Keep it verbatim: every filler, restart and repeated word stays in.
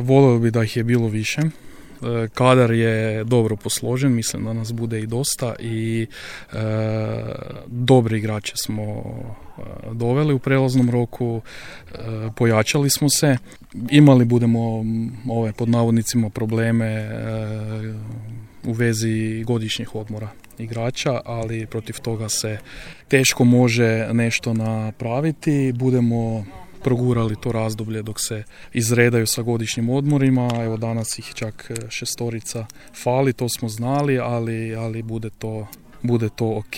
Volio bi da ih je bilo više. Kadar je dobro posložen, mislim da nas bude i dosta i e, dobri igrače smo e, doveli u prelaznom roku, e, pojačali smo se, imali budemo ove pod navodnicima probleme e, u vezi godišnjih odmora igrača, ali protiv toga se teško može nešto napraviti, budemo progurali to razdoblje dok se izredaju sa godišnjim odmorima. Evo danas ih čak šestorica fali, to smo znali, ali, ali bude to, bude to ok.